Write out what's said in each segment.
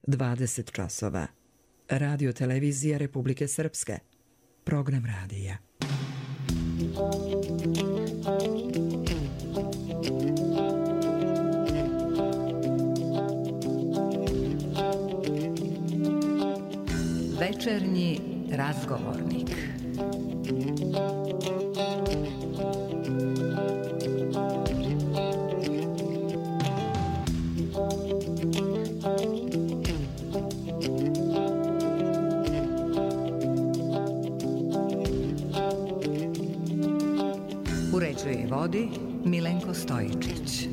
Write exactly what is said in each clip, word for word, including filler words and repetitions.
dvadeset časova. Radio televizija Republike Srpske. Program radija. Večernji razgovornik. Uređuje i vodi Milenko Stojičić.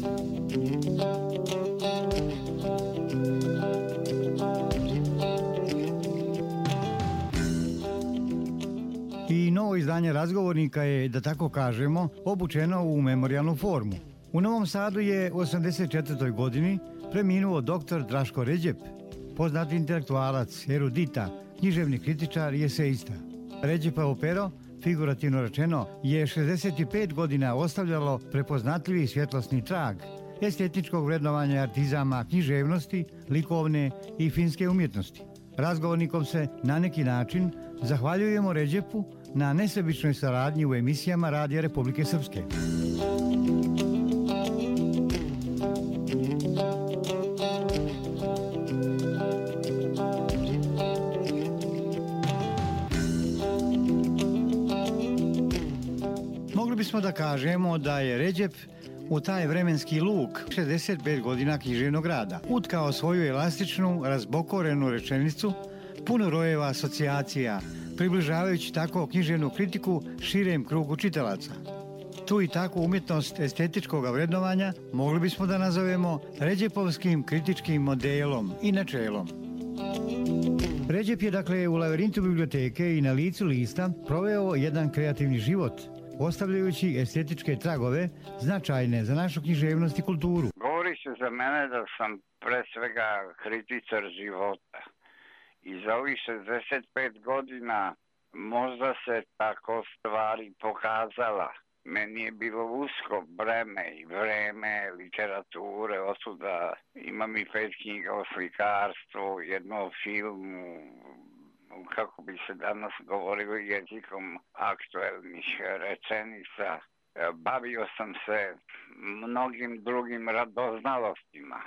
I novo izdanje razgovornika je, da tako kažemo, obučeno u memorijalnu formu. U Novom Sadu je u osamdeset četvrtoj godini preminuo doktor Draško Redžep, poznati intelektualac, erudita, književni kritičar i eseista. Redžepovo pero, figurativno rečeno, je šezdeset pet godina ostavljalo prepoznatljivi svjetlosni trag estetičkog vrednovanja artizama književnosti, likovne i finske umjetnosti. Razgovornikom se na neki način zahvaljujemo Redžepu na nesebičnoj saradnji u emisijama Radija Republike Srpske. Mogli bismo da kažemo da je Redžep u taj vremenski luk šezdeset pet godina književnog rada utkao svoju elastičnu, razbokorenu rečenicu, puno rojeva asocijacija, približavajući tako književnu kritiku širem krugu čitalaca. Tu i takvu umjetnost estetičkog vrednovanja mogli bismo da nazovemo Redžepovskim kritičkim modelom i načelom. Redžep je dakle u lavirintu biblioteke i na licu lista proveo jedan kreativni život, ostavljajući estetičke tragove značajne za našu književnost i kulturu. Govori se za mene da sam pre svega kritičar života. I za ovih šezdeset pet godina možda se tako stvari pokazala. Meni je bilo usko breme i vreme literature, osuda imam i pet knjiga o slikarstvu, jedno o filmu, kako bi se danas govorilo jezikom aktuelnih rečenica. Bavio sam se mnogim drugim radoznalostima,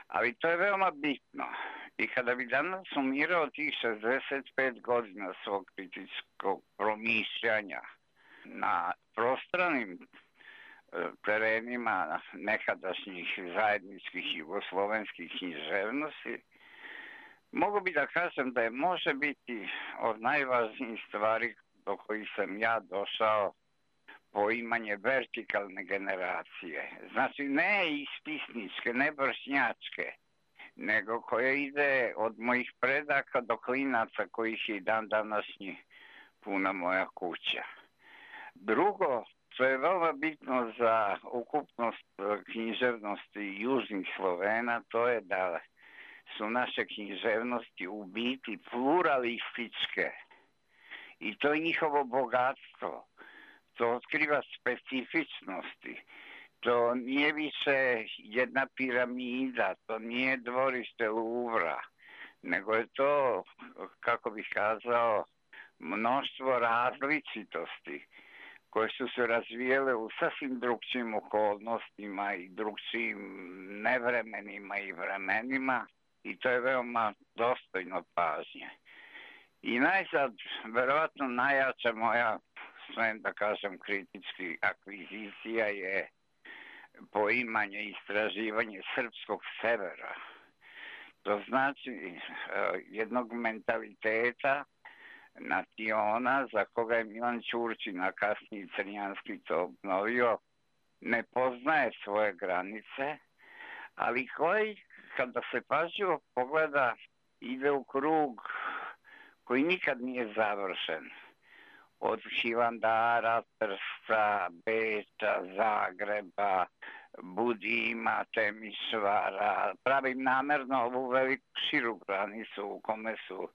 ali to je veoma bitno. I kada bi danas sumirao tih šezdeset pet godina svog kritičkog promišljanja na prostranim terenima nekadašnjih zajedničkih jugoslovenskih književnosti, mogu bi da kažem da je može biti od najvažnijih stvari do kojih sam ja došao poimanje vertikalne generacije. Znači ne ispisničke, ne vršnjačke, nego koja ide od mojih predaka do klinaca kojih je i dan današnji puna moja kuća. Drugo, što je veoma bitno za ukupnost književnosti južnih Slovena, to je da su naše književnosti u biti pluralističke i to je njihovo bogatstvo. To otkriva specifičnosti. To nije više jedna piramida, to nije dvorište Luvra, nego je to, kako bih kazao, mnoštvo različitosti koje su se razvijele u sasvim drugčijim okolnostima i drugčijim nevremenima i vremenima i to je veoma dostojno pažnje. I najzad, verovatno najjača moja, smem da kažem, kritički akvizicija je poimanje i istraživanje srpskog severa. To znači jednog mentaliteta naciona za koga je Milan Ćurčin, a kasnije Crnjanski to obnovio, ne poznaje svoje granice, ali koji, kada se pažljivo pogleda, ide u krug koji nikad nije završen. Od Hivandara, Trsta, Beča, Zagreba, Budima, Temišvara. Pravim namerno ovu veliku širu granicu u kome su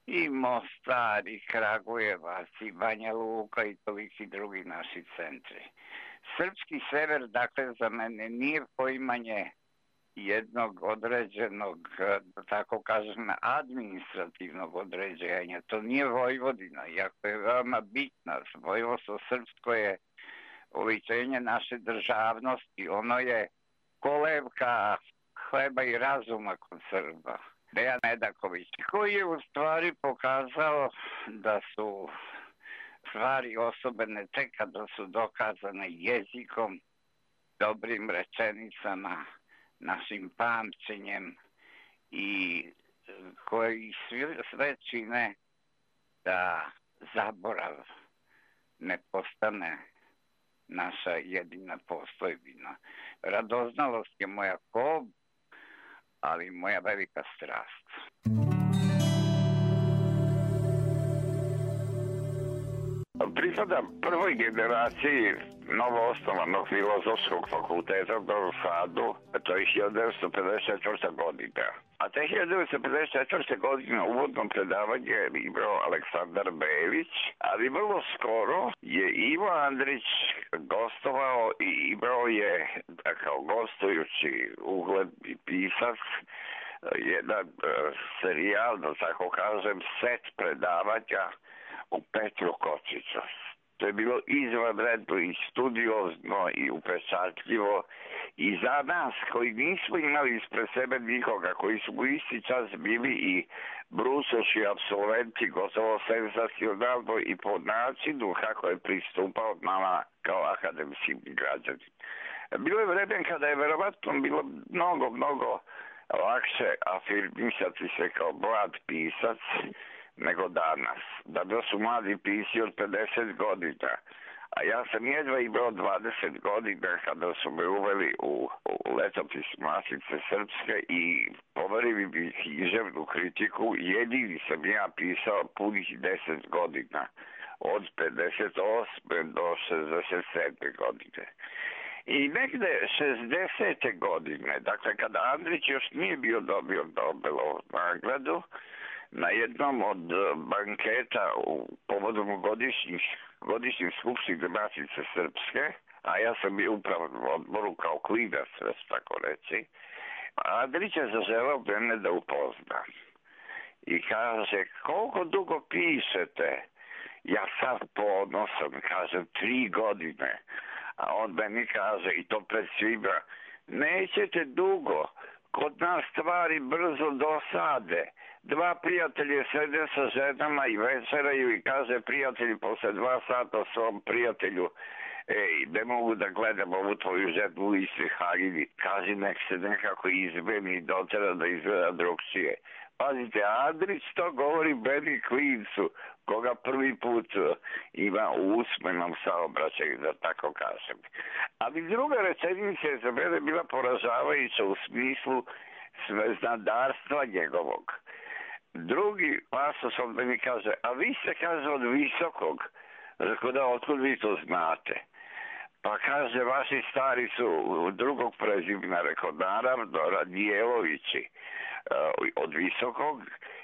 i Mostar, i Kragujevac, i Banja Luka i toliki drugi naši centri. Srpski sever, dakle, za mene nije poimanje jednog određenog, da tako kažem, administrativnog određenja. To nije Vojvodina, iako je veoma bitna. Vojvodstvo srpsko je oličenje naše državnosti. Ono je kolevka hleba i razuma kod Srba. Dejan Medaković, koji je u stvari pokazao da su stvari osobene tek kada su dokazane jezikom, dobrim rečenicama, našim pamćenjem i koji sve čine da zaborav ne postane naša jedina postojbina. Radoznalost je moja kob, ali moja velika strast. Pripadam prvoj generaciji novoosnovanog filozofskog fakulteta u Novom Sadu, to je hiljadu devetsto pedeset četvrta godina. A te hiljadu devetsto pedeset četvrte godine uvodno predavanje je imao Aleksandar Bević, ali vrlo skoro je Ivo Andrić gostovao i imao je, kao gostujući ugledni pisac, jedan uh, serijal, da tako kažem, set predavanja u Petru Kočiću. To je bilo izvanredno i studiozno i upečatljivo i za nas koji nismo imali ispred sebe nikoga, koji su u isti čas bili i brusoši apsolventi, gotovo senzacionalno i po načinu kako je pristupao nama kao akademskim građanima. Bilo je vreme kada je verovatno bilo mnogo, mnogo lakše afirmisati se kao mlad pisac nego danas. Danas su mladi pisci od pedeset godina, a ja sam jedva imao dvadeset godina kada su me uveli u, u letopis Matice Srpske i poverili mi književnu kritiku. Jedini sam ja pisao punih deset godina, od pedeset osme do šezdeset sedme godine. I negde šezdesete godine, dakle kada Andrić još nije bio dobio Nobelovu nagradu, na jednom od banketa u povodom godišnjih, godišnjih skupštine Matice Srpske, a ja sam bio upravo u odboru kao klinac, tako reći, Andrić je zaželao mene da upoznam. I kaže, koliko dugo pišete? Ja sam ponosan, kažem, tri godine. A on meni kaže, i to pred svima, nećete dugo, kod nas stvari brzo dosade. Dva prijatelje sede sa ženama i večeraju i kaže prijatelji posle dva sata svom prijatelju, ej, ne mogu da gledam ovu tvoju ženu u istoj haljini, kaži nek se nekako izmeni i dotera da izgleda drugčije. Pazite, Andrić to govori meni klincu, koga prvi put ima u usmenom saobraćaju, da tako kažem. Ali druga rečenica je za mene bila poražavajuća u smislu sveznadarstva njegovog. Drugi pasos on meni kaže, a vi ste, kaže, od visokog. Rekao da, otkud vi to znate? Pa kaže, vaši stari su drugog prezimena, rekao, naravno, Radijelovići od visokog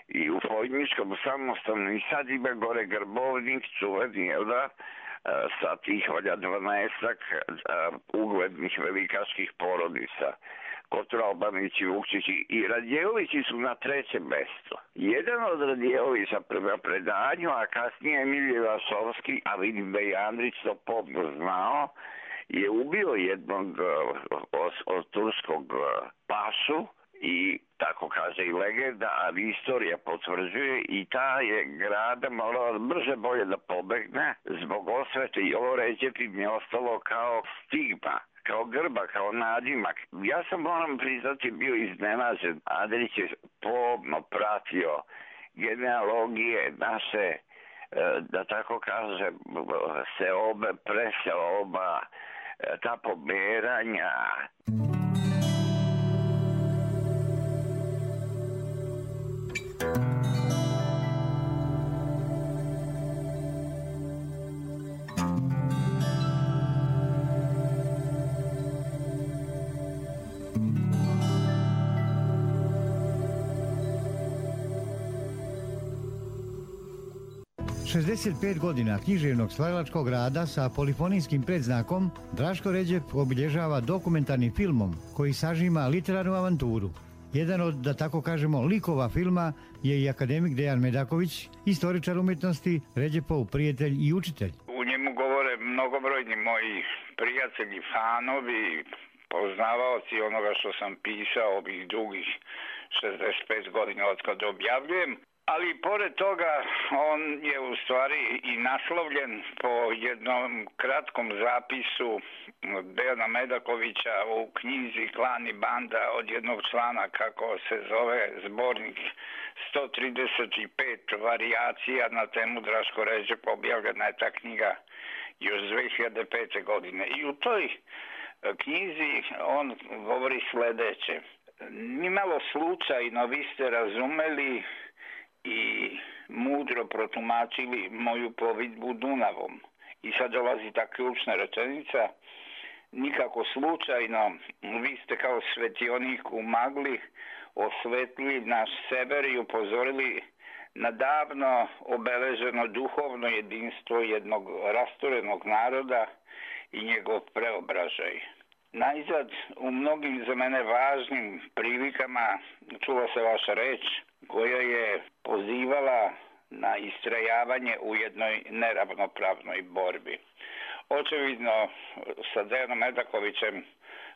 i u Fojničkom samostanu i sad ima gore Grbovnik, čuveni, jel da, sa tih valja dvanaestak uglednih velikaških porodica. Kotrobanić i Vukčići i Radjelovići su na trećem mestu. Jedan od Radjelovića prema predanju, a kasnije Emilije Vasovski, a vidim da je Andrić to pomno znao, je ubio jednog od, od turskog pašu i tako kaže i legenda, ali istorija potvrđuje i ta je grada morala brže bolje da pobegne zbog osvete i ovo Ređep im je ostalo kao stigma, kao grba, kao nadimak. Ja sam, moram priznati, bio iznenađen. Andrić je pomno pratio genealogije naše, da tako kažem, seobe, preseoba, ta pomeranja. šezdeset pet godina književnog stvaralačkog rada sa polifonijskim predznakom Draško Ređep obilježava dokumentarnim filmom koji sažima literarnu avanturu. Jedan od, da tako kažemo, likova filma je i akademik Dejan Medaković, istoričar umjetnosti, Ređepov prijatelj i učitelj. U njemu govore mnogobrojni moji prijatelji, fanovi, poznavaoci onoga što sam pisao ovih dugih šezdeset pet godina od kada objavljujem. Ali pored toga on je u stvari i naslovljen po jednom kratkom zapisu Dejana Medakovića u knjizi Klan i banda od jednog člana, kako se zove zbornik sto trideset pet varijacija na temu Draško Ređep. Objavljena je ta knjiga još dve hiljade pete. godine. I u toj knjizi on govori sledeće. Nimalo slučajno vi ste razumeli i mudro protumačili moju plovidbu Dunavom. I sad dolazi ta ključna rečenica. Nikako slučajno vi ste kao svetionik u magli osvetlili naš sever i upozorili na davno obeleženo duhovno jedinstvo jednog rastorenog naroda i njegov preobražaj. Najzad, u mnogim za mene važnim prilikama čula se vaša reč koja je pozivala na istrajavanje u jednoj neravnopravnoj borbi. Očevidno sa Dejanom Medakovićem,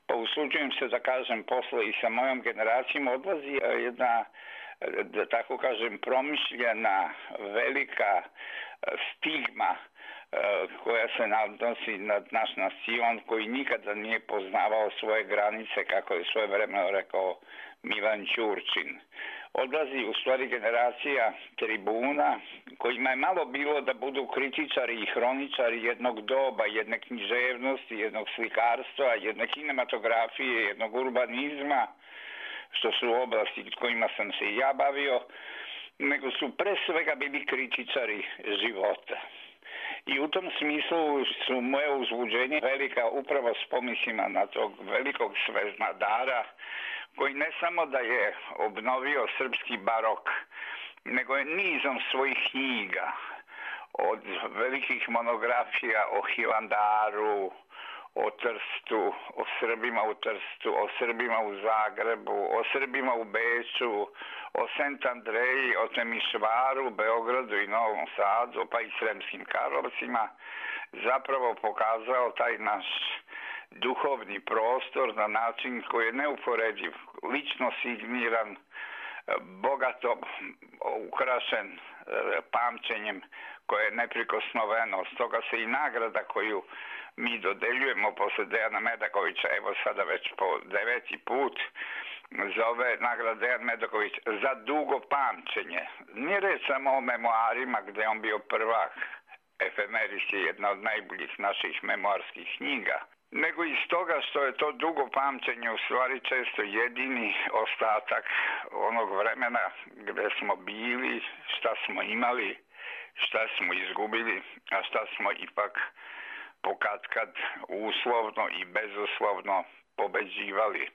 pa usuđujem se da kažem posle i sa mojom generacijom, odlazi jedna, da tako kažem, promišljena velika stigma koja se odnosi na naš nacion, koji nikada nije poznavao svoje granice, kako je svojevremeno rekao Milan Ćurčin. Odlazi u stvari generacija tribuna kojima je malo bilo da budu kritičari i hroničari jednog doba, jedne književnosti, jednog slikarstva, jedne kinematografije, jednog urbanizma, što su oblasti kojima sam se i ja bavio, nego su pre svega bili kritičari života. I u tom smislu su moje uzbuđenje velika upravo s pomislima na tog velikog sveznadara, koji ne samo da je obnovio srpski barok, nego je nizom svojih knjiga, od velikih monografija o Hilandaru, o Trstu, o Srbima u Trstu, o Srbima u Zagrebu, o Srbima u Beču, o Sant Andreji, o Temišvaru, Beogradu i Novom Sadu, pa i Sremskim Karlovcima, zapravo pokazao taj naš duhovni prostor na način koji je neuporediv, lično signiran, bogato ukrašen pamćenjem koje je neprikosnoveno. Stoga se i nagrada koju mi dodeljujemo posle Dejana Medakovića, evo sada već po deveti put, zove nagrada Dejan Medaković za dugo pamćenje. Nije reč samo o memoarima gde on bio prvak, Efemeris je jedna od najboljih naših memoarskih knjiga, nego iz toga što je to dugo pamćenje u stvari često jedini ostatak onog vremena gde smo bili, šta smo imali, šta smo izgubili, a šta smo ipak pokatkad uslovno i bezuslovno pobeđivali.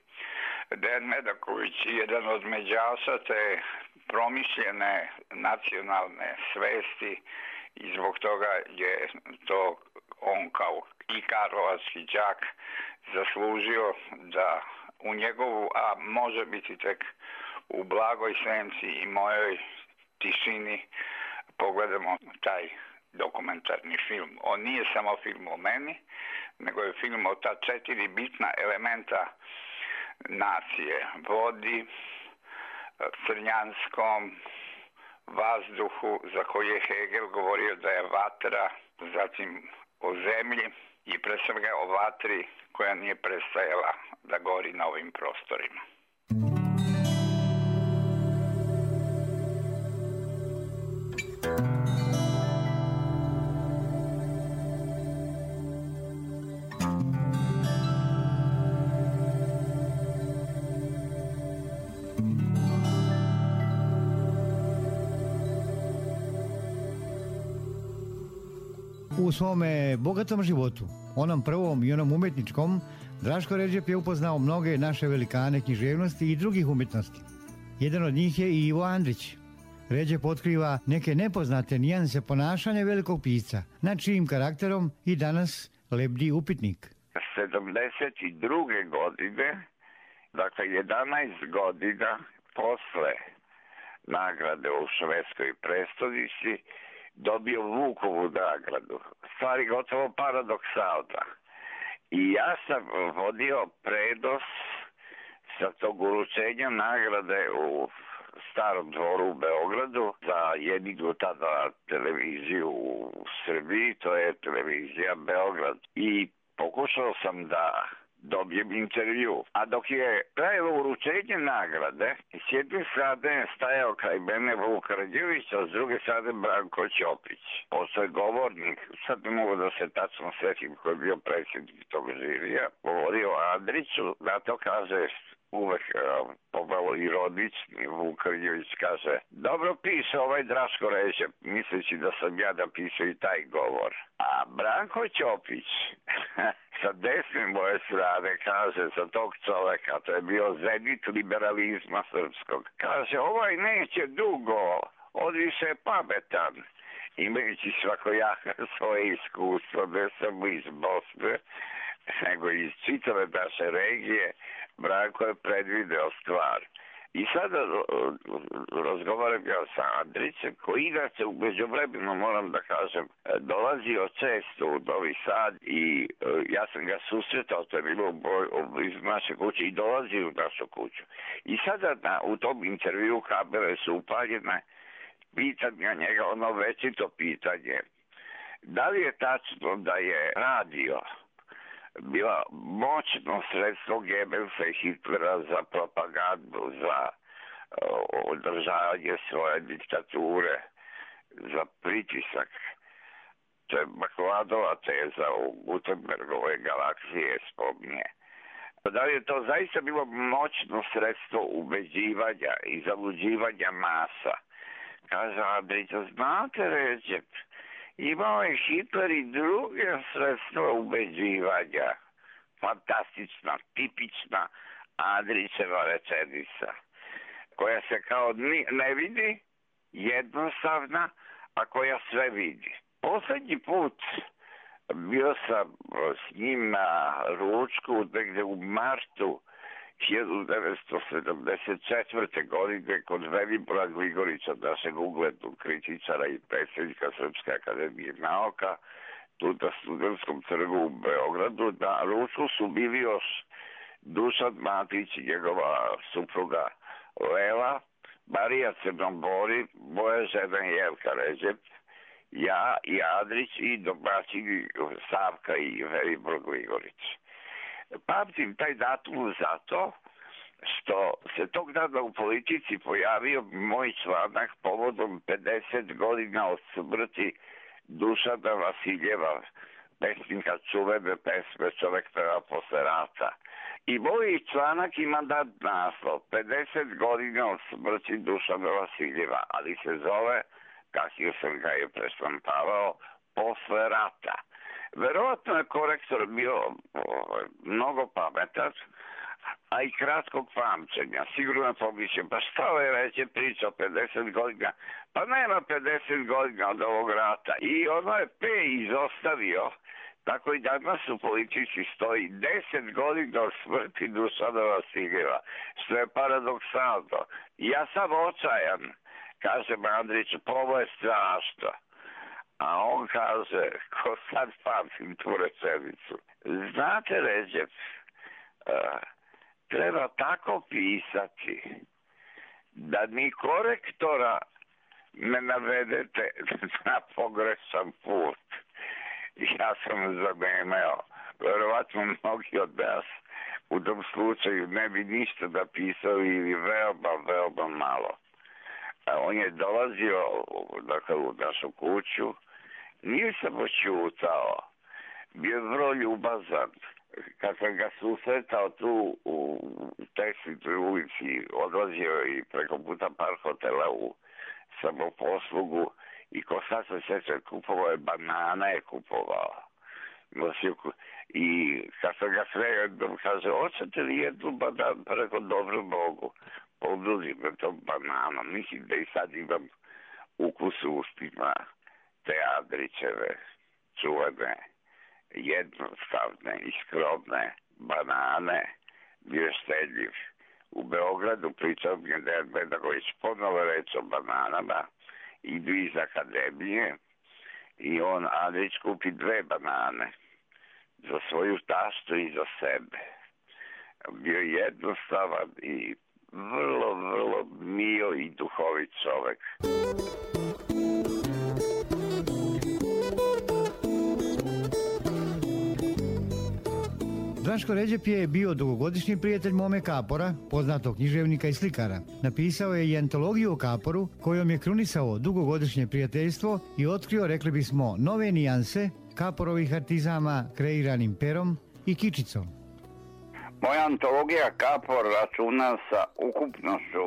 Dejan Medaković je jedan od međaša te promišljene nacionalne svesti i zbog toga je to on kao i karlovački đak zaslužio da u njegovu, a može biti tek u blagoj senci i mojoj tišini, pogledamo taj dokumentarni film. On nije samo film o meni, nego je film o ta četiri bitna elementa nacije: vodi, crnjanskom, vazduhu, za koji je Hegel govorio da je vatra, zatim o zemlji i pre svega o vatri koja nije prestajala da gori na ovim prostorima. U svome bogatom životu, onom prvom i onom umjetničkom, Draško Ređep je upoznao mnoge naše velikane književnosti i drugih umjetnosti. Jedan od njih je i Ivo Andrić. Ređep otkriva neke nepoznate nijanse ponašanja velikog pisca, na čijim karakterom i danas lebdi upitnik. sedamdeset druge godine, dakle jedanaest godina posle nagrade u švedskoj prestonici, dobio Vukovu nagradu. Stvari gotovo paradoksalna. I ja sam vodio prenos sa tog uručenja nagrade u Starom dvoru u Beogradu za jedinu tada televiziju u Srbiji, to je televizija Beograd. I pokušao sam da dobijem intervju. A dok je trajalo uručenje nagrade, s jedne strane je stajao kraj mene Vuk Karadžević, a s druge strane Branko Ćopić. Posle je govornik, sad ne mogu da se tačno setim ko je bio predsjednik tog žirija, govorio o Andriću, na to kaže uvek uh, pomalo ironični, Vuk Karadžević kaže: dobro piše ovaj Draško Ređep, misleći da sam ja napisao i taj govor. A Branko Ćopić sa desne moje strane kaže za tog čoveka, to je bio zenit liberalizma srpskog, kaže: ovaj neće dugo, on više je pametan. Imajući svakojaka svoje iskustvo, ne samo iz Bosne, nego iz čitave naše regije, Branko je predvideo stvar. I sada razgovaram ja sa Andrićem, koji inače u međuvremenu, moram da kažem, dolazio često u Novi Sad i ja sam ga susretao, to je bilo iz naše kuće, i dolazio u našu kuću. I sada na, u tom intervju kamere su upaljene, pitam ja njega ono večito pitanje: da li je tačno da je radio bila moćno sredstvo Goebbelsa i Hitlera za propagandu, za uh, održavanje svoje diktature, za pritisak? To je Bakladova teza u Gutenbergove galaksije spominje. Da li je to zaista bilo moćno sredstvo ubeđivanja i zaluđivanja masa? Kaže Andrić: znate, Ređep, imao je Hitler i druge sredstva ubeđivanja. Fantastična, tipična Andrićeva rečenica, koja se kao ne vidi, jednostavna, a koja sve vidi. Poslednji put bio sam s njim na ručku negde u martu hiljadu devetsto sedamdeset četvrte. godine kod Velibora Gligorića, našeg uglednog kritičara i predsjednika Srpske akademije nauka, tu na Studentskom trgu u Beogradu. Na ručku su bili još Dušan Matić i njegova supruga Lela, Marija Crnobori, moja žena Jelka Ređep, ja i Andrić i domaćini Savka i Velibor Gligorić. Pamtim taj datum zato što se tog dana u Politici pojavio moj članak povodom pedeset godina od smrti Dušana Vasiljeva, pesnika čuvene pesme Čovek peva posle rata. I moj članak ima dat naslov pedeset godina od smrti Dušana Vasiljeva, ali se zove, kasnije sam ga je preštampavao, Posle rata. Verovatno je korektor bio o, mnogo pametan, a i kratkog pamćenja. Sigurno je pomišljam, pa šta ovaj reće priča o pedeset godina? Pa nema pedeset godina od ovog rata. I ono je P izostavio, tako i danas u Politici stoji deset godina od smrti Dušana Vasiljeva, što je paradoksalno. Ja sam očajan, kažem Andriću, pa ovo je strašno. A on kaže, ko sad pamtim tu rečenicu: znate, Ređep, uh, treba tako pisati da ni korektora ne navedete na pogrešan put. Ja sam zanemeo. Verovatno mnogi od nas u tom slučaju ne bi ništa napisali ili veoma, veoma malo. A on je dolazio, dakle, u našu kuću, nije samo čutao, bio je vrlo ljubazan. Kad sam ga susretao tu u Tekstilnoj ulici, odlazio i preko puta par hotela u samoposlugu i ko sad se sjeća, kupovao je banana, je kupovao. I kad sam ga sve jednom kaže: hoćete li jednu bananu? Preko, dobro mogu. Oduzim me to banana. Mislim da i sad imam ukus u ustima te Andrićeve čuvene, jednostavne i skromne banane. Bio štedljiv. U Beogradu pričao mi je Dejan Bedagović ponovo reč o bananama. Idu iz akademije i on, Andrić, kupi dve banane za svoju taštu i za sebe. Bio jednostavan i vrlo, vrlo mio i duhovit čovek. Draško Ređep je bio dugogodišnji prijatelj Mome Kapora, poznatog književnika i slikara. Napisao je i antologiju o Kaporu, kojom je krunisao dugogodišnje prijateljstvo i otkrio, rekli bismo, nove nijanse Kaporovih artizama kreiranim perom i kičicom. Moja antologija Kapor računa sa ukupnošću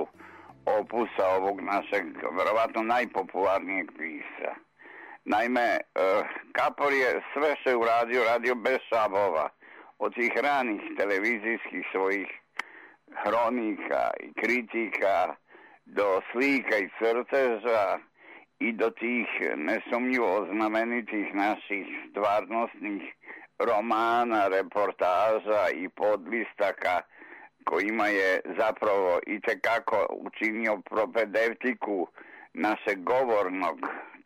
opusa ovog našeg, verovatno najpopularnijeg pisa. Naime, Kapor je sve što je uradio, radio bez šabova. Od tih ranih televizijskih svojih hronika i kritika do slika i crteža i do tih nesumnjivo znamenitih naših stvarnostnih romana, reportaža i podlistaka kojima je zapravo itekako učinio propedevtiku našeg govornog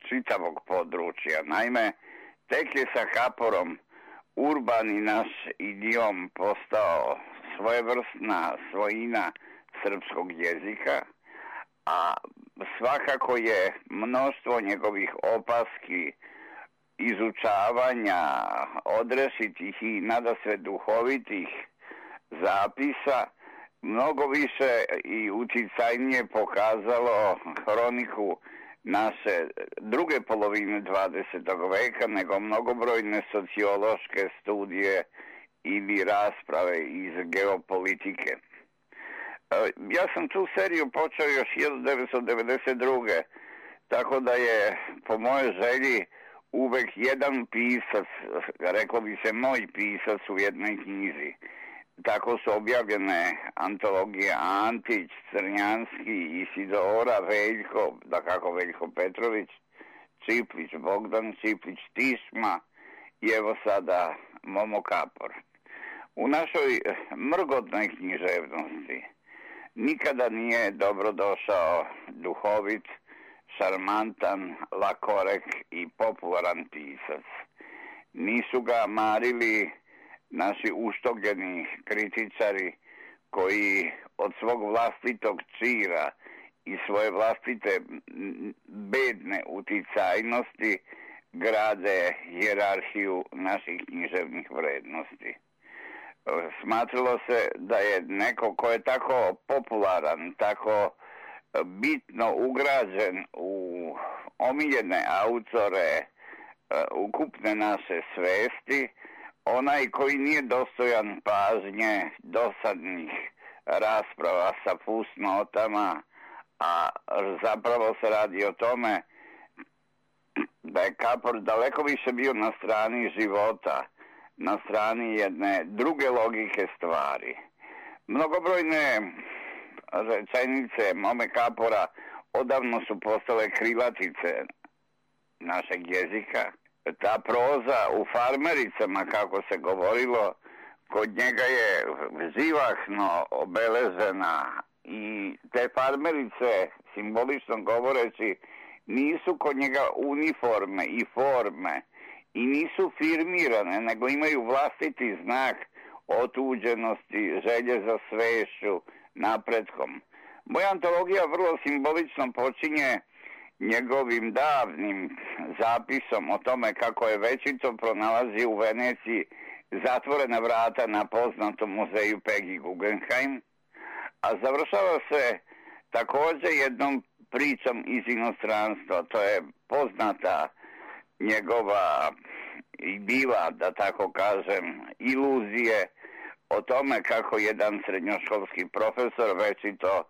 čitavog područja. Naime, tek je sa Kaporom urbani naš idiom postao svojevrsna svojina srpskog jezika, a svakako je mnoštvo njegovih opaski, izučavanja, odrešitih i nadasve duhovitih zapisa mnogo više i uticajnije pokazalo hroniku naše druge polovine dvadesetog veka nego mnogobrojne sociološke studije ili rasprave iz geopolitike. Ja sam tu seriju počeo još hiljadu devetsto devedeset druge. tako da je po mojoj želji uvek jedan pisac, reklo bi se moj pisac u jednoj knjizi. Tako su objavljene antologije Antić, Crnjanski, Isidora, Veljko, da kako Veljko Petrović, Čiplić, Bogdan Čiplić, Tišma i evo sada Momo Kapor. U našoj mrgotnoj književnosti nikada nije dobro došao duhovit, šarmantan, lakorek i popularan pisac. Nisu ga marili naši uštogljeni kritičari koji od svog vlastitog čira i svoje vlastite bedne uticajnosti grade hijerarhiju naših književnih vrednosti. Smatralo se da je neko ko je tako popularan, tako bitno ugrađen u omiljene autore ukupne naše svesti, onaj koji nije dostojan pažnje dosadnih rasprava sa fusnotama, a zapravo se radi o tome da je Kapor daleko više bio na strani života, na strani jedne druge logike stvari. Mnogobrojne rečenice Mome Kapora odavno su postale krilatice našeg jezika. Ta proza u farmericama, kako se govorilo, kod njega je živahno obeležena i te farmerice, simbolično govoreći, nisu kod njega uniforme i forme i nisu firmirane, nego imaju vlastiti znak otuđenosti, želje za svešću, napretkom. Moja antologija vrlo simbolično počinje njegovim davnim zapisom o tome kako je večito pronalazi u Veneciji zatvorena vrata na poznatom muzeju Peggy Guggenheim, a završava se također jednom pričom iz inostranstva. To je poznata njegova i bila, da tako kažem, iluzije o tome kako jedan srednjoškolski profesor večito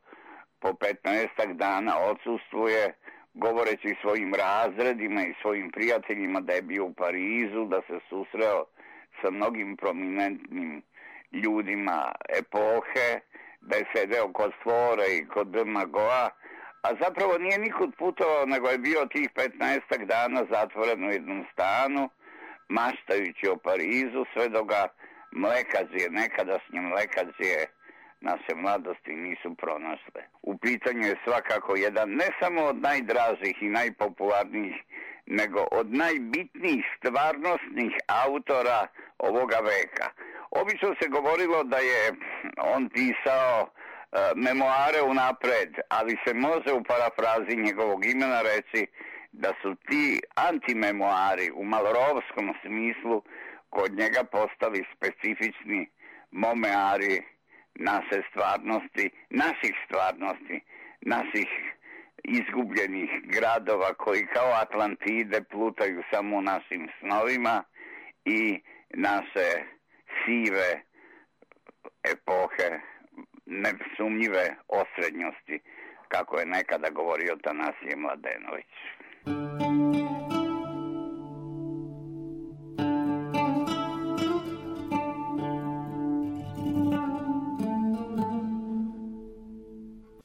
po petnaestak dana odsustvuje, govoreći svojim razredima i svojim prijateljima da je bio u Parizu, da se susreo sa mnogim prominentnim ljudima epohe, besede oko Stvore i kod Magoa, a zapravo nije nikud putovao, nego je bio tih petnaestak dana zatvoren u jednom stanu, maštajući o Parizu, sve dok ga mlekazije, nekadašnje mlekazije naše mladosti nisu pronašle. U pitanju je svakako jedan ne samo od najdražih i najpopularnijih, nego od najbitnijih stvarnostnih autora ovoga veka. Obično se govorilo da je on pisao e, memoare unapred, ali se može u parafrazi njegovog imena reći da su ti antimemoari u malorovskom smislu kod njega postali specifični momeari naše stvarnosti, naših stvarnosti, naših izgubljenih gradova koji kao Atlantide plutaju samo u našim snovima i naše sive epohe, nesumnjive osrednjosti, kako je nekada govorio Tanasije Mladenović.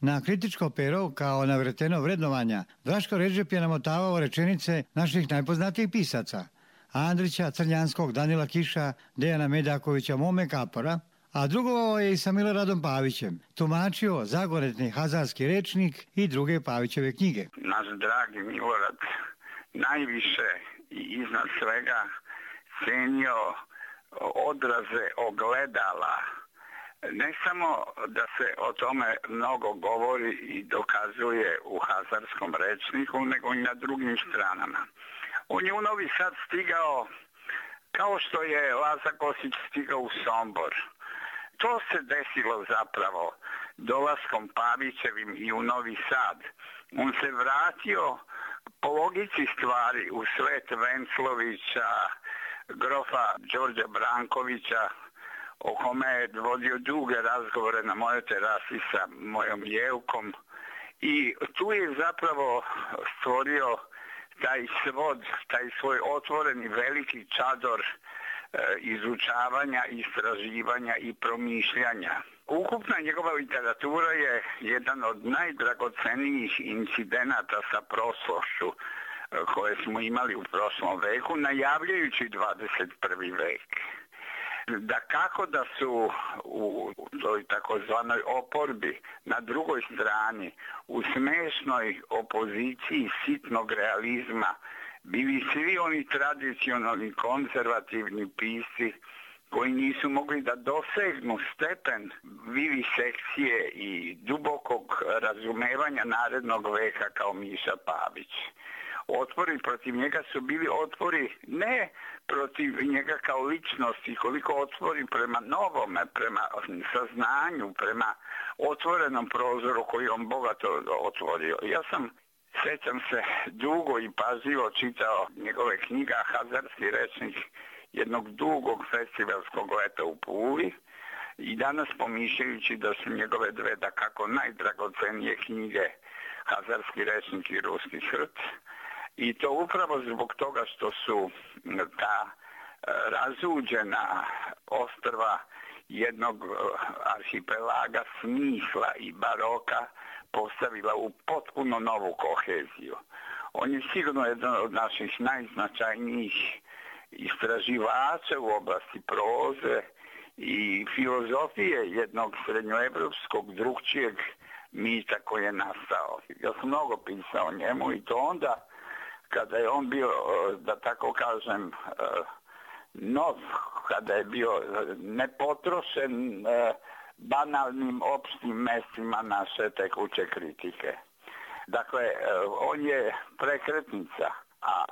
Na kritičko pero, kao navreteno vrednovanja, Draško Redžep je namotavao rečenice naših najpoznatijih pisaca, Andrića, Crnjanskog, Danila Kiša, Dejana Medakovića, Mome Kapora, a drugovao je i sa Miloradom Pavićem, tumačio zagoretni hazarski rečnik i druge Pavićeve knjige. Naš dragi Milorad najviše i iznad svega cenio odraze ogledala. Ne samo da se o tome mnogo govori i dokazuje u hazarskom rečniku, nego i na drugim stranama. On je u Novi Sad stigao kao što je Laza Kostić stigao u Sombor. To se desilo zapravo dolaskom Pavićevim i u Novi Sad. On se vratio po logici stvari u svet Venclovića, grofa Đorđa Brankovića, o kome je vodio duge razgovore na mojoj terasi sa mojom Jevkom. I tu je zapravo stvorio taj svod, taj svoj otvoreni veliki čador e, izučavanja, istraživanja i promišljanja. Ukupna njegova literatura je jedan od najdragocenijih incidenata sa prošlošću e, koje smo imali u prošlom veku, najavljajući dvadeset prvi vek. Da kako da su u toj takozvanoj oporbi na drugoj strani u smešnoj opoziciji sitnog realizma bili svi oni tradicionalni konzervativni pisci koji nisu mogli da dosegnu stepen vivisekcije i dubokog razumevanja narednog veka kao Miša Pavić. Otpori protiv njega su bili otpori ne protiv njega kao ličnosti, koliko otpori prema novome, prema saznanju, prema otvorenom prozoru koji on bogato otvorio. Ja sam, sećam se, dugo i pažljivo čitao njegove knjiga, hazarski rečnik jednog dugog festivalskog leta u Puli i danas pomišljajući da su njegove dve da kako najdragocenije knjige, hazarski rečnik i ruski hrt, i to upravo zbog toga što su ta razuđena ostrva jednog arhipelaga smisla i baroka postavila u potpuno novu koheziju. On je sigurno jedan od naših najznačajnijih istraživača u oblasti proze i filozofije jednog srednjoevropskog drugčijeg mita koji je nastao. Ja sam mnogo pisao o njemu i to onda kada je on bio, da tako kažem, nov, kada je bio nepotrošen banalnim opštim mestima naše tekuće kritike. Dakle, on je prekretnica, a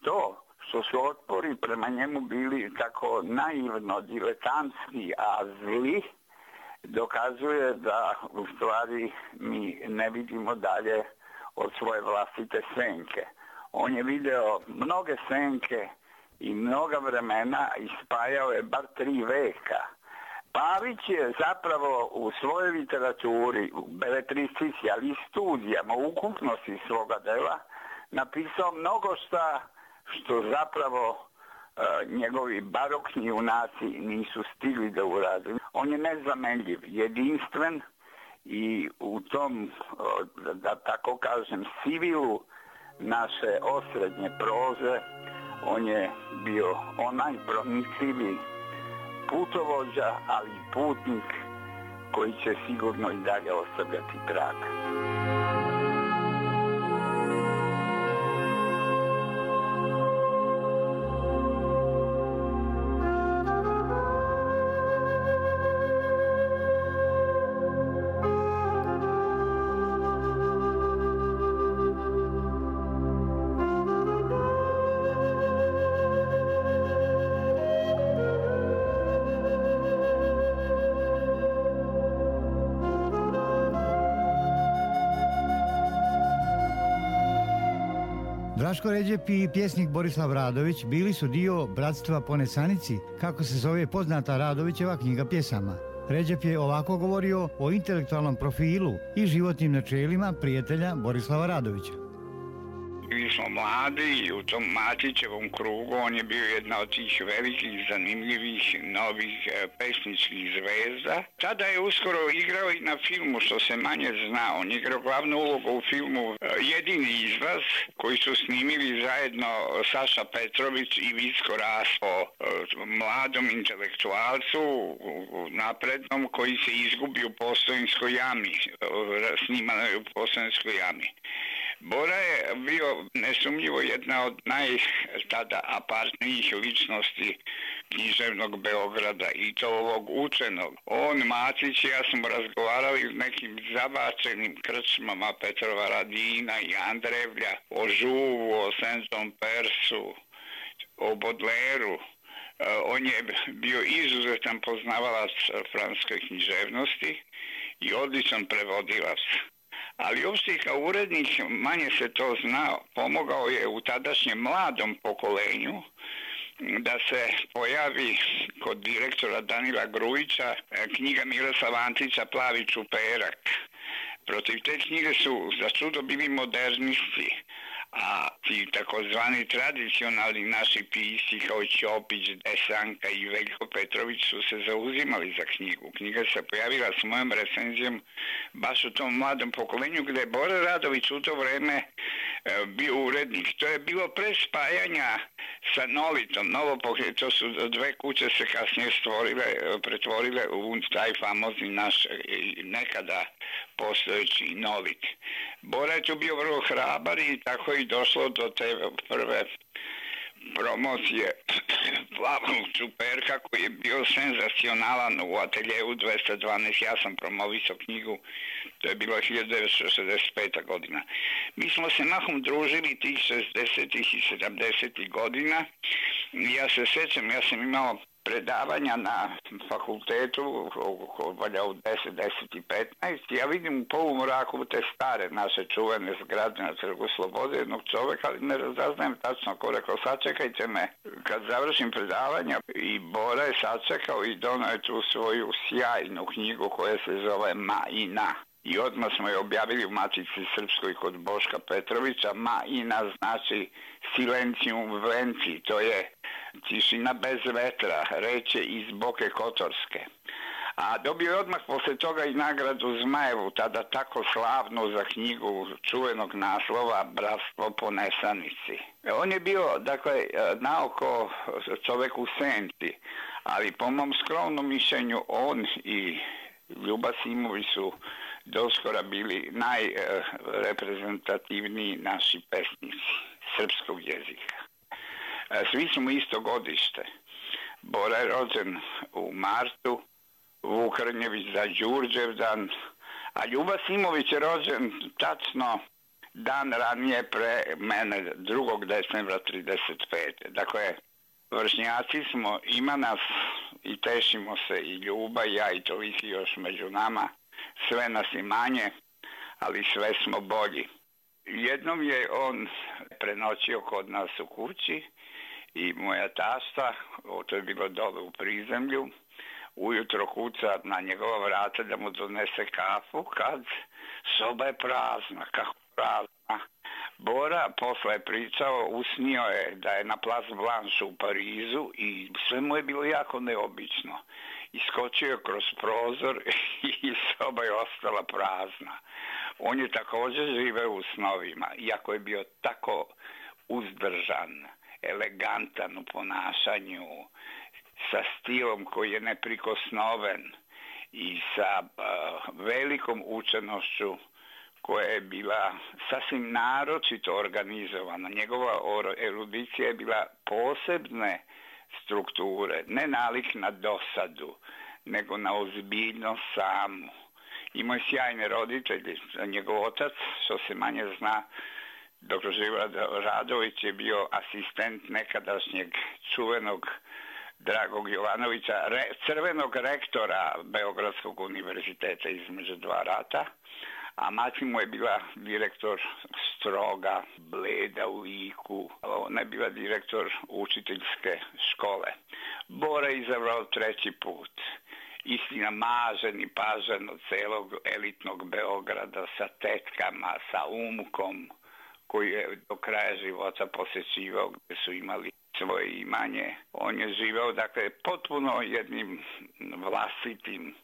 to što su otpori prema njemu bili tako naivno diletantski, a zli, dokazuje da u stvari mi ne vidimo dalje od svoje vlastite senke. On je video mnoge senke i mnoga vremena i spajao je bar tri veka. Pavić je zapravo u svojoj literaturi, u beletristici, ali i studijama, u ukupnosti svoga dela, napisao mnogo šta što zapravo njegovi barokni junaci nisu stigli da urade. On je nezamenljiv, jedinstven i u tom, da tako kažem, sivilu naše osrednje proze, on je bio onaj pronicljivi putovođa, ali i putnik koji će sigurno i dalje ostavljati trag. Draško Redžep i pjesnik Borislav Radović bili su dio Bratstva po Nesanici, kako se zove poznata Radovićeva knjiga pjesama. Redžep je ovako govorio o intelektualnom profilu i životnim načelima prijatelja Borislava Radovića. Mi smo mladi i u tom Matićevom krugu on je bio jedna od tih velikih, zanimljivih, novih e, pesničkih zvezda. Tada je uskoro igrao i na filmu, što se manje zna. On je igrao glavnu ulogu u filmu e, Jedini izlaz, koji su snimili zajedno Saša Petrović i Vicko Raspo, e, mladom intelektualcu, naprednom, koji se izgubi u Postojinskoj jami. E, snimano je u Postojinskoj jami. Bora je bio nesumnjivo jedna od naj tada apartnijih ličnosti književnog Beograda i to ovog učenog. On, Matić i ja smo razgovarali u nekim zabačenim krčmama Petrova Radina i Andrevlja o Žuvu, o Saint-John Persu, o Bodleru. On je bio izuzetan poznavalac francuske književnosti i odličan prevodilac. Ali uopšte kao urednik, manje se to zna, pomogao je u tadašnjem mladom pokolenju da se pojavi kod direktora Danila Grujića knjiga Miroslava Antića Plavi čuperak. Protiv te knjige su za čudo bili modernisti, a ti takozvani tradicionalni naši pisci kao Ćopić, Desanka i Veljko Petrović su se zauzimali za knjigu. Knjiga se pojavila s mojom recenzijom baš u tom mladom pokolenju gdje je Bora Radović u to vreme bio urednik. To je bilo pre spajanja sa Nolitom. Novo pokret, to su dve kuće se kasnije stvorile, pretvorile u taj famozni naš nekada postojeći Nolit. Bora je tu bio vrlo hrabar i tako je došlo do te prve promocije Plavog čuperka koji je bio senzacionalan u ateljevu dvesta dvanaest. Ja sam promovisao knjigu, to je bilo hiljadu devetsto šezdeset peta godina. Mi smo se mahom družili tih šezdesetih i sedamdesetih godina. Ja se sjećam, ja sam imao predavanja na fakultetu valja u deset, deset i petnaest. Ja vidim u polumraku te stare naše čuvene zgrade na Trgu Slobode jednog čoveka, ali ne razaznajem tačno ko rekao, sačekajte me kad završim predavanja. I Bora je sačekao i donao je tu svoju sjajnu knjigu koja se zove Ma i Na. I odmah smo je objavili u Matici Srpskoj kod Boška Petrovića. Ma i Na znači silencium venci, to je tišina bez vetra, reče iz Boke Kotorske. A dobio je odmah posle toga i nagradu Zmajevu, tada tako slavnu za knjigu čuvenog naslova Bratstvo po Nesanici. On je bio, dakle, naoko čovek u senci, ali po mom skromnom mišljenju on i Ljuba Simović su doskora bili najreprezentativniji naši pesnici srpskog jezika. Svi smo isto godište. Bora je rođen u martu, Vuk Rnjević za Đurđevdan, a Ljuba Simović je rođen tačno dan ranije pre mene, drugog decembra trideset pete. Dakle, vršnjaci smo, ima nas i tešimo se i Ljuba i ja i toliki još među nama. Sve nas i manje, ali sve smo bolji. Jednom je on prenoćio kod nas u kući i moja tasta, to je bilo dole u prizemlju, ujutro kuca na njegova vrata da mu donese kafu, kad soba je prazna, kako prazna. Bora posle je pričao, usnio je da je na Place Blanche u Parizu i sve mu je bilo jako neobično. Iskočio je kroz prozor i soba je ostala prazna. On je također živeo u snovima, iako je bio tako uzdržan, elegantan u ponašanju, sa stilom koji je neprikosnoven i sa uh, velikom učenošću koja je bila sasvim naročito organizovana. Njegova erudicija je bila posebne strukture, ne nalik na dosadu, nego na ozbiljnost samu. Imao je sjajne roditelje. Njegov otac, što se manje zna, doktor Živorad Radović je bio asistent nekadašnjeg čuvenog Dragog Jovanovića, re, crvenog rektora Beogradskog univerziteta između dva rata, a mati mu je bila direktor stroga, bleda u liku. Ona je bila direktor učiteljske škole. Bora je izabrao treći put. Istina, mažen i pažen od celog elitnog Beograda sa tetkama, sa umkom, koji je do kraja života posjećivao, gdje su imali svoje imanje. On je živao, dakle, potpuno jednim vlastitim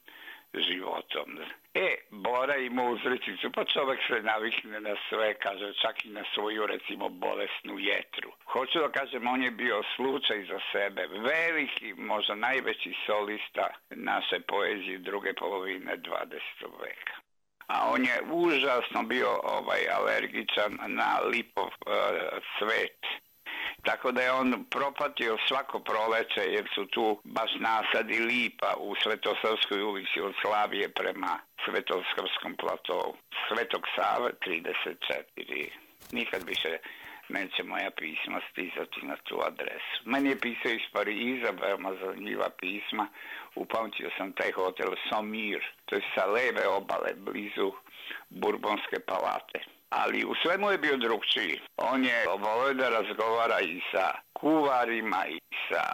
životom. E, Bora ima uzrečicu, pa čovjek se navikne na sve, kaže, čak i na svoju, recimo, bolesnu jetru. Hoću da kažem, on je bio slučaj za sebe, veliki, možda najveći solista naše poezije druge polovine dvadesetog veka. A on je užasno bio ovaj alergičan na lipov uh, cvet. Tako da je on propatio svako proleće jer su tu baš nasadi lipa u Svetosavskoj ulici od Slavije prema Svetosavskom platovu. Svetog Save trideset četiri. Nikad više neće moja pisma stizati na tu adresu. Meni je pisao iz Pariza, veoma zanimljiva pisma. Upamtio sam taj hotel Somir, to je sa leve obale, blizu Burbonske palate. Ali u svemu je bio drugčiji. On je volio da razgovara i sa kuvarima i sa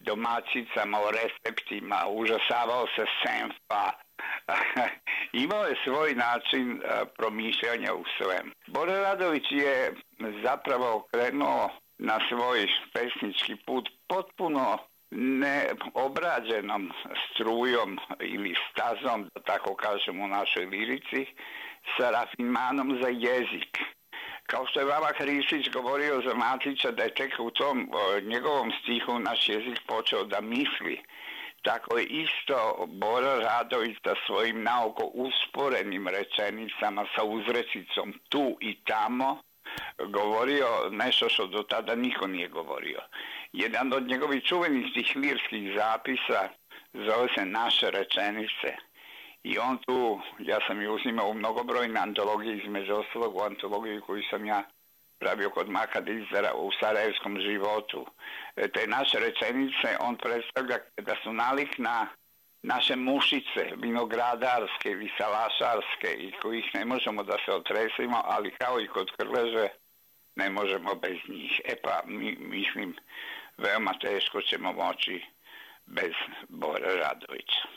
domaćicama o receptima, užasavao se senfa. Imao je svoj način promišljanja u svem. Bora Radović je zapravo krenuo na svoj pesnički put potpuno neobrađenom strujom ili stazom, da tako kažem u našoj lirici, sa rafinmanom za jezik. Kao što je Vava Hristić govorio za Matića da je tek u tom o, njegovom stihu naš jezik počeo da misli, tako je isto Bora Radović sa svojim naoko usporenim rečenicama sa uzrecicom tu i tamo govorio nešto što do tada niko nije govorio. Jedan od njegovih čuvenih tih lirskih zapisa zove se Naše rečenice. I on tu, ja sam ju uzimao u mnogobrojne antologije, između ostalog u antologiji koju sam ja pravio kod Maka Dizera u Sarajevskom životu. Te naše rečenice on predstavlja da su nalik na naše mušice, vinogradarske ili salašarske, i kojih ne možemo da se otresimo, ali kao i kod Krleže ne možemo bez njih. E pa, mi, mislim, veoma teško ćemo moći bez Bore Radovića.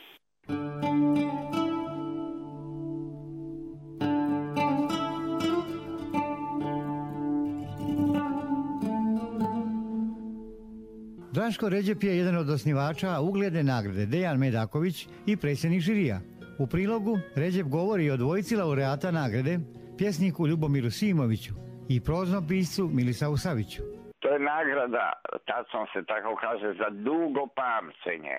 Draško Redžep je jedan od osnivača ugledne nagrade Dejan Medaković i predsjednik žirija. U prilogu Redžep govori o dvojici laureata nagrade, pjesniku Ljubomiru Simoviću i proznom piscu Milisavu Saviću. To je nagrada, tačno se tako kaže, za dugo pamćenje.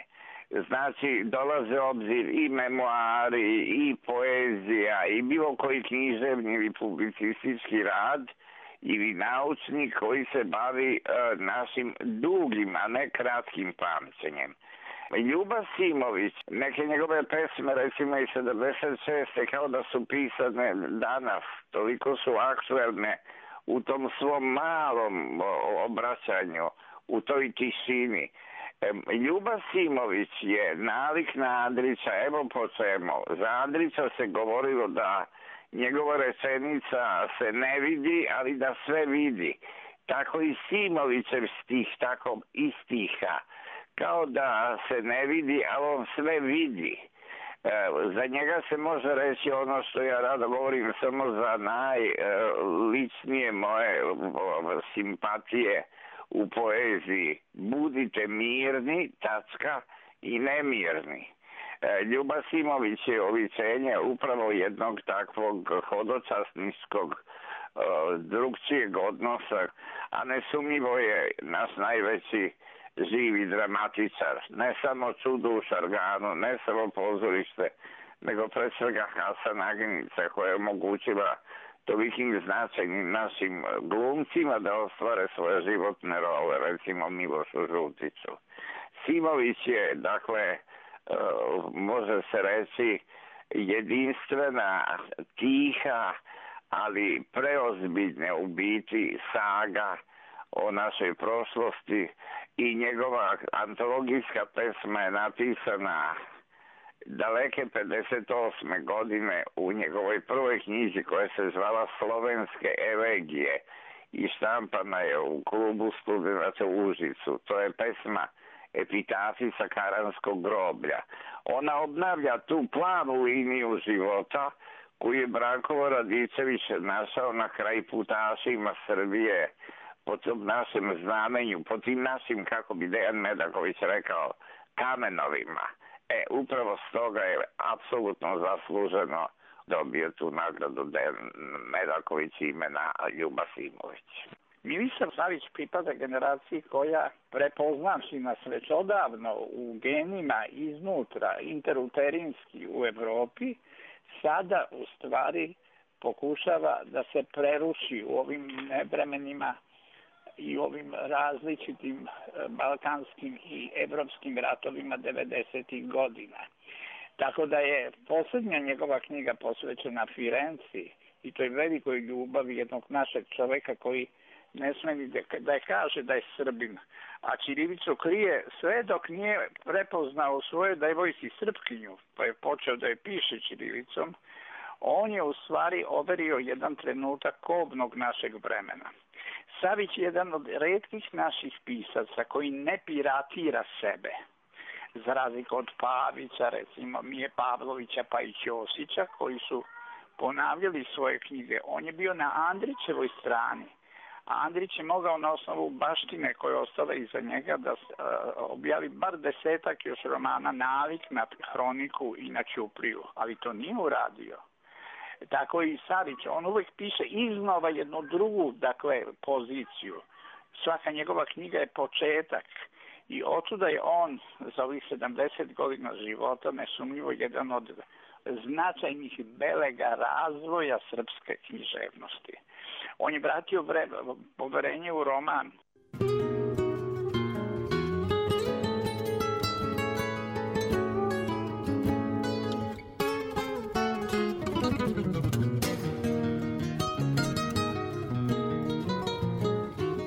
Znači, dolaze u obzir i memoari, i poezija, i bilo koji književni ili publicistički rad, ili naučnik koji se bavi e, našim dugim, a ne kratkim pamćenjem. Ljuba Simović, neke njegove pesme, recimo iz sedamdeset šeste kao da su pisane danas, toliko su aktuelne u tom svom malom obraćanju, u toj tišini. E, Ljuba Simović je nalik na Andrića, evo po čemu. Za Andrića se govorilo da njegova rečenica se ne vidi, ali da sve vidi. Tako i Simovićev stih, tako i stiha. Kao da se ne vidi, ali on sve vidi. Za njega se može reći ono što ja rado govorim samo za najličnije moje simpatije u poeziji. Budite mirni, tačka, i nemirni. Ljuba Simović je oličenje upravo jednog takvog hodočasničkog drugčijeg odnosa, a nesumnjivo je naš najveći živi dramatičar. Ne samo čudo u Šarganu, ne samo pozorište, nego pre svega Hasan Agenica, koja je omogućila tolikim značajnim našim glumcima da ostvare svoje životne role, recimo Milošu Žutiću. Simović je, dakle, može se reći, jedinstvena, tiha, ali preozbiljne u biti saga o našoj prošlosti i njegova antologijska pesma je napisana daleke pedeset osme godine u njegovoj prvoj knjizi koja se zvala Slovenske elegije i štampana je u klubu studenata u Užicu. To je pesma Epitafi sa Karanskog groblja. Ona obnavlja tu planu liniju života koju je Branko Radičević našao na kraj putašima Srbije po tom našem znamenju, po tim našim, kako bi Dejan Medaković rekao, kamenovima. E, upravo stoga je apsolutno zasluženo dobio tu nagradu Dejan Medaković imena Ljuba Simović. Milisav Savić pripada generaciji koja, prepoznavši nas već odavno u genima iznutra, interuterinski u Evropi, sada u stvari pokušava da se preruši u ovim nevremenima i ovim različitim balkanskim i evropskim ratovima devedesetih godina. Tako da je posljednja njegova knjiga posvećena Firenci i toj velikoj ljubavi jednog našeg čoveka koji ne sme ni da je kaže da je Srbin, a ćirilicu krije sve dok nije prepoznao svoje devojci Srpkinju, pa je počeo da je piše ćirilicom. On je u stvari overio jedan trenutak kobnog našeg vremena. Savić je jedan od retkih naših pisaca koji ne piratira sebe. Za razliku od Pavića, recimo Mije Pavlovića pa i Ćosića, koji su ponavljali svoje knjige. On je bio na Andrićevoj strani. A Andrić je mogao na osnovu baštine koja je ostala iza njega da uh, objavi bar desetak još romana nalik na Hroniku i na Ćupriju, ali to nije uradio. Tako i Savić, on uvijek piše iznova jednu drugu, dakle, poziciju. Svaka njegova knjiga je početak i otuda je on za ovih sedamdeset godina života nesumnjivo jedan od značajnih belega razvoja srpske književnosti. On je vratio poverenje u roman.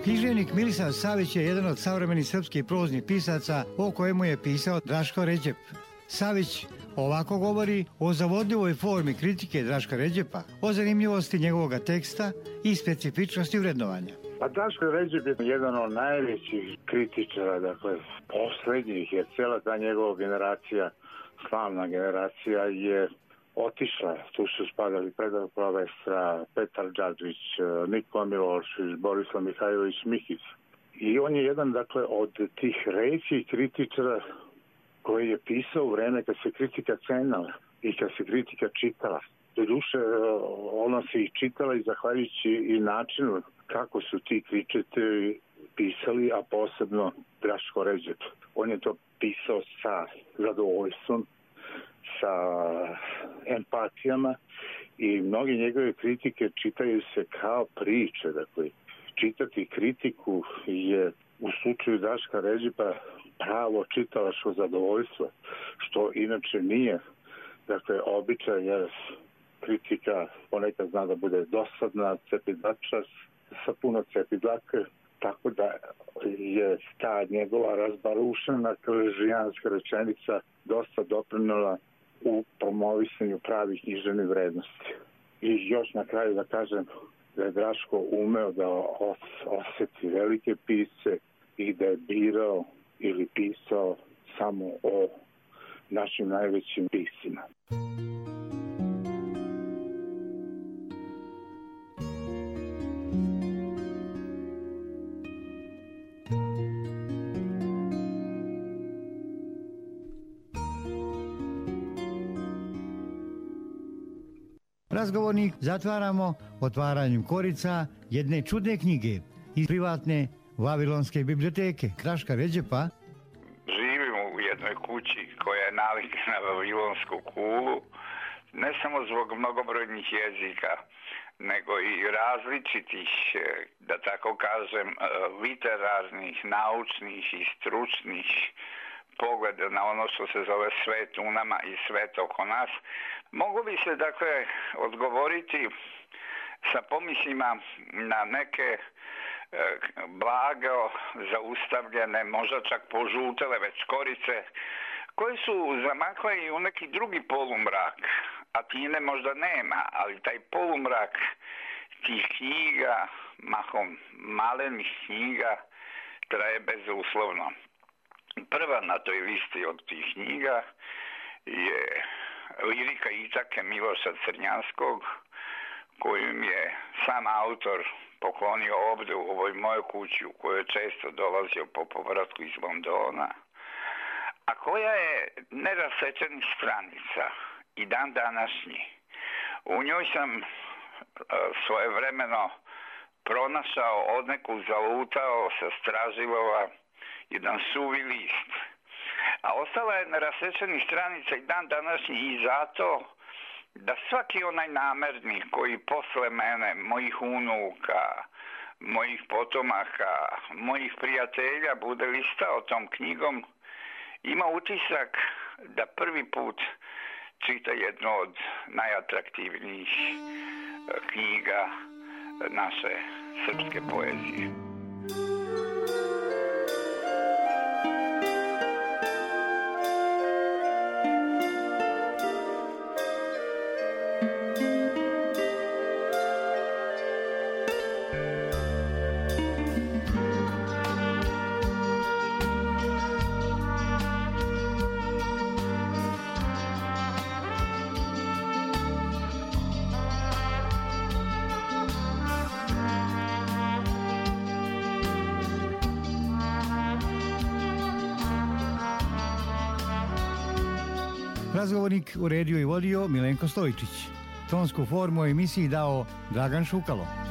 Književnik Milisav Savić je jedan od savremenih srpskih proznih pisaca o kojemu je pisao Draško Ređep. Savić ovako govori o zavodljivoj formi kritike Draška Ređepa, o zanimljivosti njegovog teksta i specifičnosti vrednovanja. Pa Draško Ređep je jedan od najvećih kritičara, dakle, poslednjih, jer cijela ta njegova generacija, slavna generacija, je otišla. Tu su spadali Predrag Provestra, Petar Đadžić, Nikola Milošević, Borislav Mihajlović Mihić. I on je jedan, dakle, od tih rećih kritičara koji je pisao u vreme kad se kritika cenala i kad se kritika čitala. Doduše, ona se i čitala i zahvaljujući i načinu kako su ti kritičari pisali, a posebno Draško Ređep. On je to pisao sa zadovoljstvom, sa empatijama i mnogi njegove kritike čitaju se kao priče. Dakle, čitati kritiku je u slučaju Draška Ređepa pravo čitalačko zadovoljstvo, što inače nije, dakle, običaj, jer kritika ponekad zna da bude dosadna, cepidlača, sa puno cepidlaka, tako da je ta njegova razbarušena krležijanska rečenica dosta doprinula u promovisanju pravih književnih vrednosti. I još na kraju da kažem da je Draško umeo da osjeti velike pisce i da je birao ili pisao samo o našim najvećim piscima. Razgovornik zatvaramo otvaranjem korica jedne čudne knjige iz privatne Vavilonske biblioteke Draška Redžepa. Živimo u jednoj kući koja je navika na Vavilonsku kulu, ne samo zbog mnogobrojnih jezika, nego i različitih, da tako kažem, literarnih, naučnih i stručnih pogleda na ono što se zove svet u nama i svet oko nas. Mogu bi se, dakle, odgovoriti sa pomislima na neke e, blago zaustavljene, možda čak požutele već korice, koje su zamakle i u neki drugi polumrak, a tine možda nema, ali taj polumrak tih knjiga, mahom malenih knjiga, traje bezuslovno. Prva na toj listi od tih knjiga je Lirika Itake Miloša Crnjanskog, kojim je sam autor poklonio ovdje u ovoj mojoj kući u kojoj je često dolazio po povratku iz Londona, a koja je nerasečenih stranica i dan današnji. U njoj sam svojevremeno pronašao, odneku zalutao sa Stražilova jedan suvi list. A ostala je na rasečenih stranica i dan današnji i zato da svaki onaj namernik koji posle mene, mojih unuka, mojih potomaka, mojih prijatelja bude listao tom knjigom, ima utisak da prvi put čita jednu od najatraktivnijih knjiga naše srpske poezije. Razgovornik uredio i vodio Milenko Stojičić. Tonsku formu emisiji dao Dragan Šukalo.